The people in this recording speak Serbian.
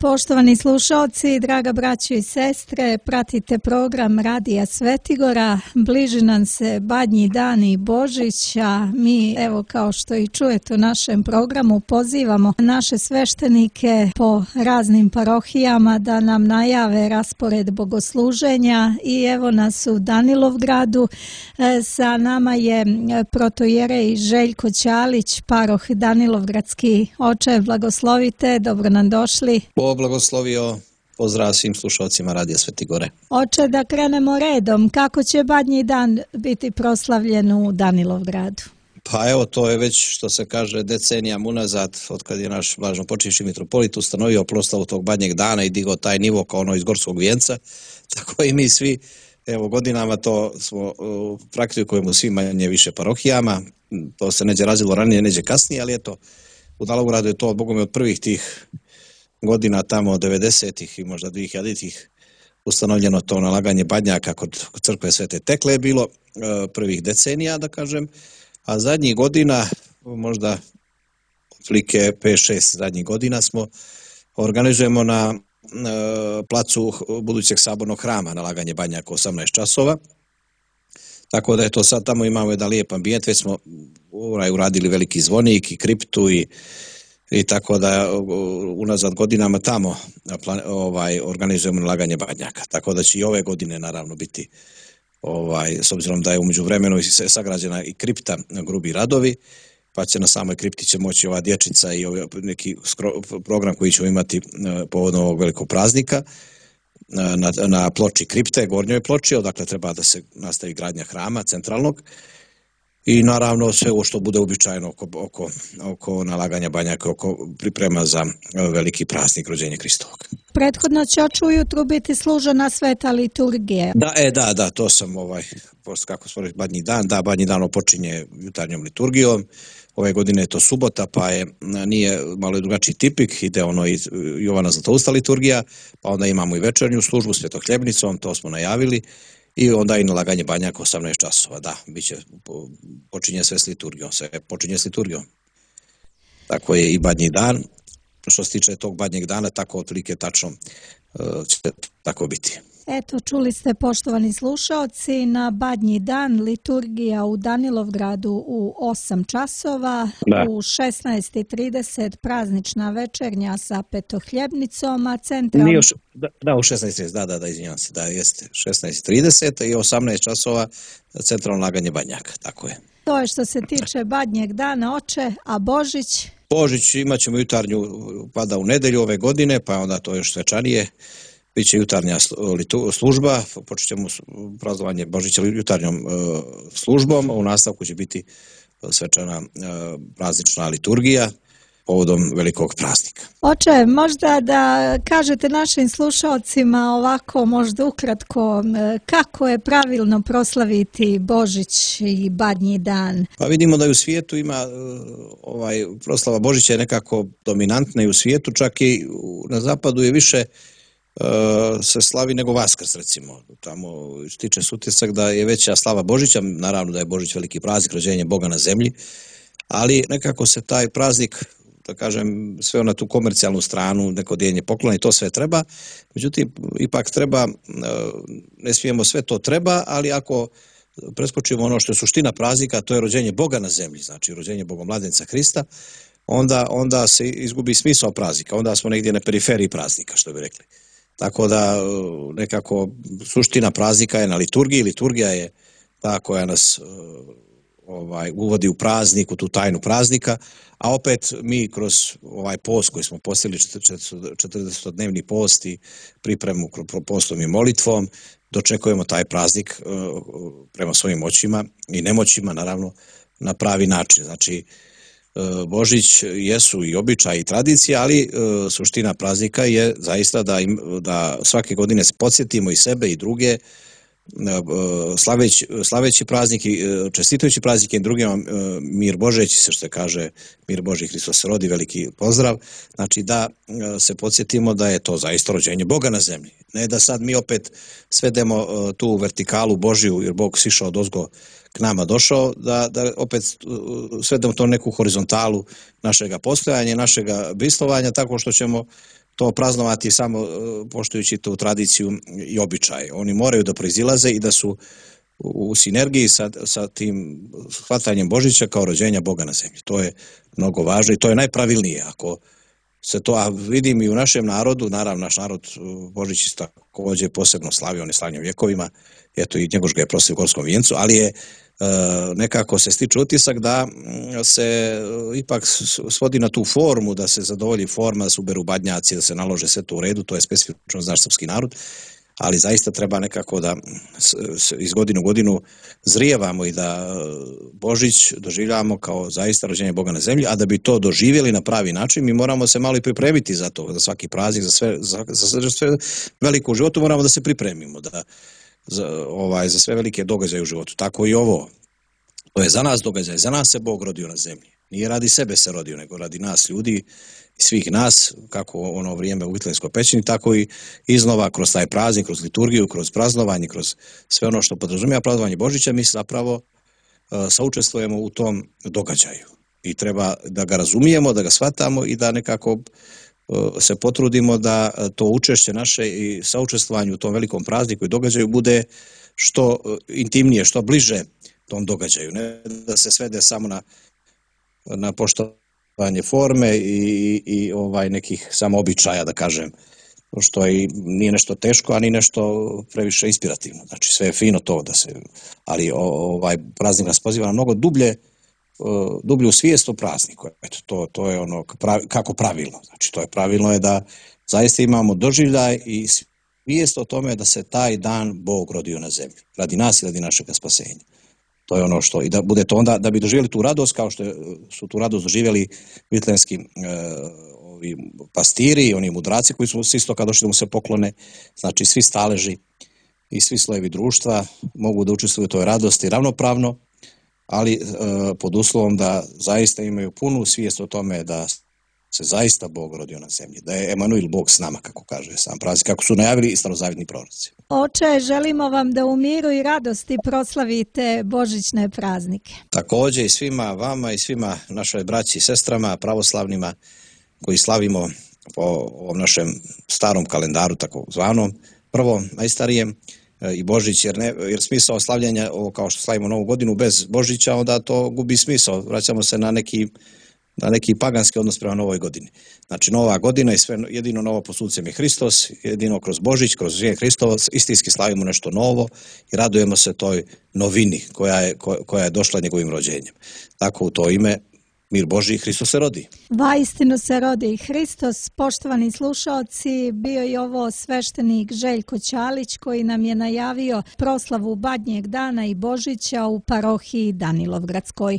Poštovani slušalci, draga braćo i sestre, pratite program Radija Svetigora. Bliži nam se Badnji dan i Božić, a mi, evo kao što i čujete u našem programu, pozivamo naše sveštenike po raznim parohijama da nam najave raspored bogosluženja i evo nas u Danilovgradu. Sa nama je protoijerej Željko Ćalić, paroh Danilovgradski. Oče, blagoslovite, dobro nam došli. Blagoslovio, pozdrav svim slušalcima Radija Svetigore. Oče, da krenemo redom, kako će Badnji dan biti proslavljen u Danilovgradu? Pa evo, to je već, što se kaže, decenijama unazad, od kad je naš blaženopočivši mitropolit ustanovio proslavu tog Badnjeg dana i digao taj nivo kao ono iz Gorskog vijenca, tako i mi svi, evo, godinama to smo praktikujemo svim manje više parohijama, to se neđe razvilo ranije, neđe kasnije, ali eto, u Danilovgradu je to, bogom, od prvih tih godina tamo od 90-ih i možda 2000-ih ustanovljeno to nalaganje badnjaka kod crkve Svete Tekle je bilo prvih decenija, da kažem, a zadnjih godina, možda otprilike 5-6 zadnjih godina organizujemo na placu budućeg sabornog hrama nalaganje badnjaka 18 časova. Tako da je to sad tamo imamo jedan lijep ambijent, već smo uradili veliki zvonik i kriptu i tako da unazad godinama tamo organizujemo nalaganje badnjaka. Tako da će i ove godine naravno biti, s obzirom da je u međuvremenu sagrađena i kripta, grubi radovi, pa će na samoj kripti će moći ova dječica i neki program koji ćemo imati povodom ovog velikog praznika na ploči kripte, gornjoj ploči, odakle treba da se nastavi gradnja hrama centralnog. I naravno sve ovo što bude uobičajeno oko nalaganja badnjaka, oko priprema za veliki praznik rođenja Hristovog. Prethodno će ujutru biti služena sveta liturgija. Da, to sam kako smo rekli, Badnji dan počinje jutarnjom liturgijom. Ove godine je to subota, pa nije malo drugačiji tipik, ide i Jovana Zlatousta liturgija, pa onda imamo i večernju službu svetohljebnicom, to smo najavili. I onda i nalaganje badnjaka 18 časova, počinje sve s liturgijom, Tako je i Badnji dan, što se tiče tog Badnjeg dana, tako otprilike tačno će tako biti. Eto, čuli ste, poštovani slušaoci, na Badnji dan liturgija u Danilovgradu u 8 časova, u 16:30 praznična večernja sa petohljebnicom, a centralno... U 16:30, izvinjavam se, jeste 16:30 i 18 časova centralno nalaganje badnjaka, tako je. To je što se tiče Badnjeg dana, oče, a Božić? Božić imat ćemo jutarnju, pada u nedelju ove godine, pa onda to još svečanije. Biće jutarnja služba, počet ćemo praznovanje Božića jutarnjom službom, a u nastavku će biti svečana praznična liturgija povodom velikog praznika. Oče, možda da kažete našim slušalcima ovako, možda ukratko, kako je pravilno proslaviti Božić i Badnji dan? Pa vidimo da i u svijetu ima proslava Božića je nekako dominantna i u svijetu, čak i na zapadu je više se slavi nego Vaskrs, recimo. Tamo stiče se utisak da je veća slava Božića, naravno da je Božić veliki praznik, rođenje Boga na zemlji, ali nekako se taj praznik, da kažem, sve na tu komercijalnu stranu, neko dijeljenje poklona i to sve treba, međutim, ipak treba, ne smijemo sve to treba, ali ako preskočimo ono što je suština praznika, to je rođenje Boga na zemlji, znači rođenje Bogomladenca Hrista, onda se izgubi smisao praznika, onda smo negdje na periferiji praznika, što bi rekli. Tako da nekako suština praznika je na liturgiji, liturgija je ta koja nas uvodi u praznik, u tu tajnu praznika, a opet mi kroz ovaj post koji smo postigli 40-dnevni post i pripremu postom i molitvom, dočekujemo taj praznik prema svojim moćima i nemoćima, naravno, na pravi način. Znači, Božić jesu i običaj i tradicija, ali suština praznika je zaista da svake godine se podsjetimo i sebe i druge, slaveći praznik i čestitajući praznik i drugima mir Božeći se, što kaže mir Boži Hristos se rodi, veliki pozdrav. Znači da se podsjetimo da je to zaista rođenje Boga na zemlji. Ne da sad mi opet svedemo tu vertikalu Božiju, jer Bog sišao odozgo k nama došao, da opet svedemo to neku horizontalu našega postojanja, našega bistvovanja, tako što ćemo to praznovati samo poštujući tu tradiciju i običaj. Oni moraju da proizilaze i da su u sinergiji sa tim shvatanjem Božića kao rođenja Boga na zemlji. To je mnogo važno i to je najpravilnije. Ako se to, a vidim i u našem narodu, naravno naš narod Božić također posebno slavio, on je slavljen vjekovima, eto i Njegoš ga je proslavio u Gorskom vijencu, ali je nekako se stiče utisak da se ipak svodi na tu formu, da se zadovolji forma, da se uberu badnjaci, da se nalože sve to u redu, to je specifično za naš srpski narod, ali zaista treba nekako da iz godine u godinu zrijevamo i da Božić doživljavamo kao zaista rođenje Boga na zemlji, a da bi to doživjeli na pravi način, mi moramo se malo i pripremiti za to, za svaki praznik, za sve veliko u životu moramo da se pripremimo, za sve velike događaje u životu. Tako i ovo. To je za nas događaj, za nas se Bog rodio na zemlji. Nije radi sebe se rodio, nego radi nas ljudi i svih nas, kako ono vrijeme u Vitlejskoj pećini, tako i iznova kroz taj praznik, kroz liturgiju, kroz praznovanje, kroz sve ono što podrazumijeva praznovanje Božića, mi zapravo saučestvujemo u tom događaju. I treba da ga razumijemo, da ga shvatamo i da nekako se potrudimo da to učešće naše i saučestvovanje u tom velikom prazniku i događaju bude što intimnije, što bliže tom događaju. Ne da se svede samo na poštovanje forme i nekih samo običaja, da kažem, što nije nešto teško, a ni nešto previše inspirativno. Znači sve je fino to ali praznik nas poziva na mnogo dublju svijest o prazniku. Eto, to je ono kako pravilno. Znači to je pravilno je da zaista imamo doživljaj i svijest o tome da se taj dan Bog rodio na zemlji. Radi nas i radi našeg spasenja. To je ono što, i da bude to onda, da bi doživjeli tu radost, kao što su tu radost doživjeli vitlejski ovi pastiri i oni mudraci koji su s istoka došli da mu se poklone, znači svi staleži i svi slojevi društva mogu da učestvuju u toj radosti ravnopravno, ali pod uslovom da zaista imaju punu svijest o tome da se zaista Bog rodio na zemlji, da je Emanuel Bog s nama, kako kaže sam praznik, kako su najavili i starozavjetni proroci. Oče, želimo vam da u miru i radosti proslavite božićne praznike. Također i svima vama i svima našoj braći i sestrama, pravoslavnima koji slavimo po ovom našem starom kalendaru, tako zvanom, prvo najstarijem, i Božić, jer smisao slavljenja, kao što slavimo Novu godinu bez Božića, onda to gubi smisao, vraćamo se na neki paganski odnos prema Novoj godini. Znači Nova godina i sve jedino novo pod suncem je Hristos, jedino kroz Božić, kroz živen Hristovac, istinski slavimo nešto novo i radujemo se toj novini koja je došla njegovim rođenjem. Tako u to ime mir Božji, Hristos se rodi. Vaistinu se rodi Hristos. Poštovani slušaoci, bio je ovo sveštenik Željko Ćalić koji nam je najavio proslavu Badnjeg dana i Božića u parohiji Danilovgradskoj.